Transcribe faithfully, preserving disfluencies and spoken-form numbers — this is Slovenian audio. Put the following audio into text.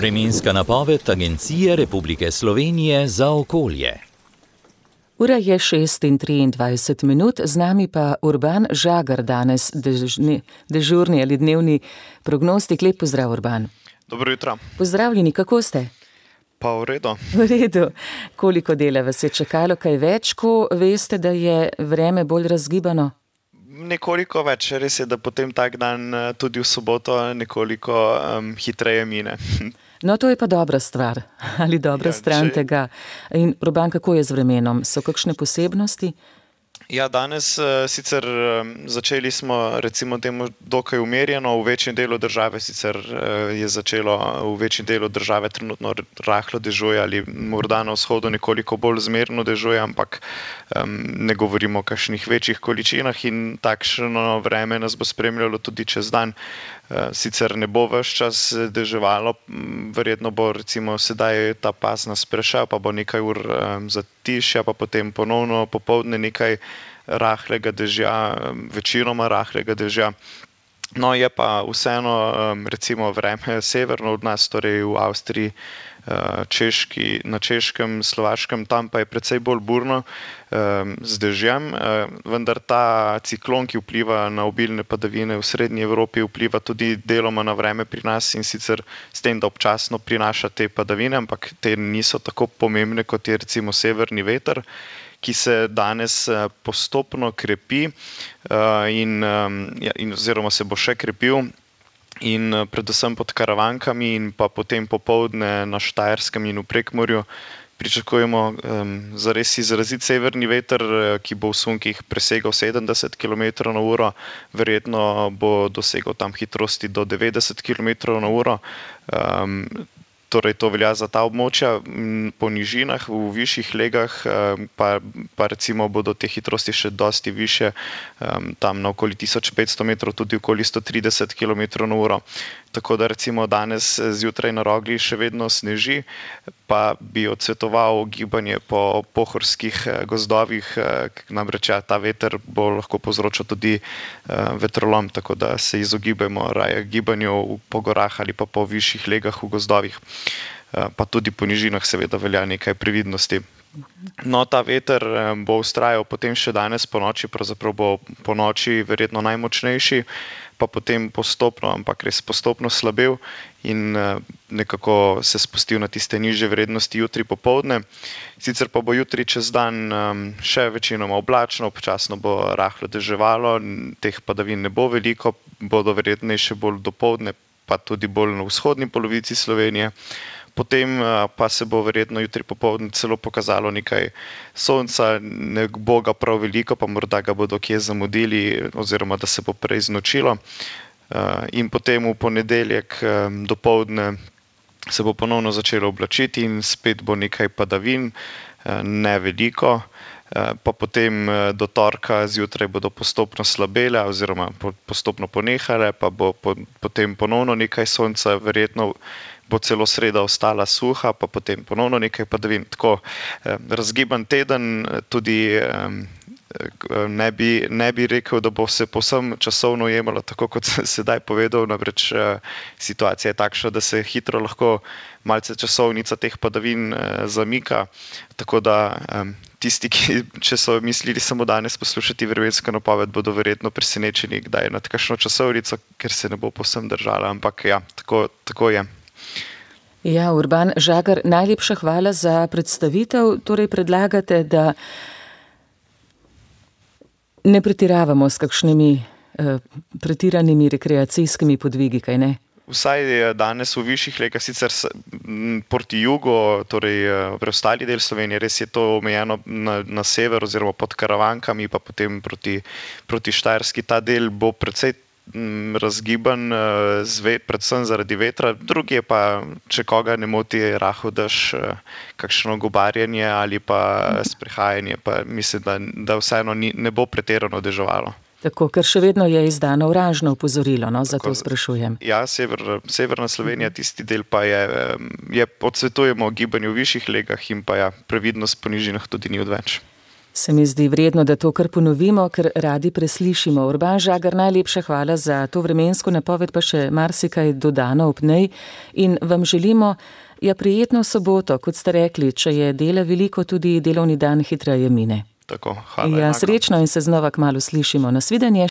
Vremenska napoved Agencije Republike Slovenije za okolje. Ura je šest in triindvajset minut, z nami pa Urban Žagar danes, dežni, dežurni ali dnevni prognostik. Lep pozdrav, Urban. Dobro jutro. Pozdravljeni, kako ste? Pa v redu. V redu. Koliko dela vas je čakalo, kaj več, ko veste, da je vreme bolj razgibano? Nekoliko več, res je, da potem tak dan tudi v soboto nekoliko um, hitreje mine. No, to je pa dobra stvar, ali dobra ja, stran če... tega. In Urban, kako je z vremenom? So kakšne posebnosti? Ja, danes uh, sicer um, začeli smo recimo temu dokaj umerjeno, v večjem delu države sicer uh, je začelo v večjem delu države trenutno rahlo dežuje ali morda na vzhodu nekoliko bolj zmerno dežuje, ampak um, ne govorimo o kakšnih večjih količinah in takšno vreme nas bo spremljalo tudi čez dan. Uh, sicer ne bo ves čas deževalo, verjetno bo recimo sedaj ta pas nas prešel, pa bo nekaj ur um, zatišja, pa potem ponovno popoldne nekaj rahlega dežja, večinoma rahlega dežja. No, je pa vseeno recimo vreme severno od nas, torej v Avstriji, Češki, na Češkem, Slovaškem, tam pa je precej bolj burno z dežjem, vendar ta ciklon, ki vpliva na obilne padavine v srednji Evropi, vpliva tudi deloma na vreme pri nas in sicer s tem, da občasno prinaša te padavine, ampak te niso tako pomembne, kot je recimo severni veter, ki se danes postopno krepi in, in oziroma se bo še krepil. In predvsem pod Karavankami in pa potem popoldne na Štajerskem in v Prekmurju pričakujemo um, zares izrazit severni veter, ki bo v sunkih presegal sedemdeset kilometrov na uro, verjetno bo dosegal tam hitrosti do devetdeset kilometrov na uro. Um, Torej, to velja za ta območja, po nižinah, v višjih legah, pa, pa recimo bodo te hitrosti še dosti više, tam na okoli tisoč petsto metrov, tudi okoli sto trideset kilometrov na uro. Tako da recimo danes zjutraj na Rogli še vedno sneži, pa bi odsvetoval gibanje po pohorskih gozdovih, namreč ta veter bo lahko povzročal tudi vetrolom, tako da se izogibajmo raje gibanju po gorah ali pa po višjih legah v gozdovih. Pa tudi po nižinah seveda velja nekaj previdnosti. No, ta veter bo vztrajal potem še danes po noči, pravzaprav bo po noči verjetno najmočnejši, pa potem postopno, ampak res postopno slabel in nekako se spustil na tiste nižje vrednosti jutri popoldne. Sicer pa bo jutri čez dan še večinoma oblačno, občasno bo rahlo deževalo, teh padavin ne bo veliko, bodo verjetnejše bolj dopoldne, pa tudi bolj na vzhodni polovici Slovenije. Potem pa se bo verjetno jutri popoldne celo pokazalo nekaj sonca, ne bo ga prav veliko, pa morda ga bodo kje zamudili oziroma da se bo prej znočilo. In potem v ponedeljek dopoldne se bo ponovno začelo oblačiti in spet bo nekaj padavin, ne veliko. Pa potem do torka zjutraj bodo postopno slabele oziroma postopno ponehale, pa bo potem ponovno nekaj sonca, verjetno bo celo sreda ostala suha, pa potem ponovno nekaj padavin. Tako razgiban teden, tudi ne bi, ne bi rekel, da bo se povsem časovno jemalo, tako kot sem sedaj povedal, namreč situacija je takšna, da se hitro lahko malce časovnica teh padavin zamika, tako da tisti, ki, če so mislili samo danes poslušati vremensko napoved, bodo verjetno presenečeni, kdaj nad kakšno časovnico, ker se ne bo povsem držala, ampak ja, tako, tako je. Ja, Urban Žagar, najlepša hvala za predstavitev. Torej predlagate, da ne pretiravamo s kakšnimi eh, pretiranimi rekreacijskimi podvigi, kaj ne? Vsaj danes v višjih legah, sicer proti jugu, torej preostali del Slovenije, res je to omejeno na, na sever oziroma pod Karavankami, pa potem proti, proti Štajerski. Ta del bo precej razgiban, predvsem zaradi vetra, drugi je pa, če koga ne moti rahel dež, kakšno gobarjenje ali pa sprehajanje, pa mislim, da, da vseeno ni, ne bo pretirano deževalo. Tako, ker še vedno je izdano oranžno opozorilo, no, zato sprašujem. Ja, sever, severna Slovenija, tisti del pa je, je odsvetujemo gibanju v višjih legah in pa ja, previdnost po nižinah tudi ni odveč. Se mi zdi vredno, da to kar ponovimo, ker radi preslišimo. Urban Žagar, najlepša hvala za to vremensko napoved, pa še marsikaj dodano ob njej in vam želimo ja prijetno soboto, kot ste rekli, če je dela veliko, tudi delovni dan hitreje mine. Tako, hvala. Ja, srečno in se znova kmalu slišimo. Nasvidenje.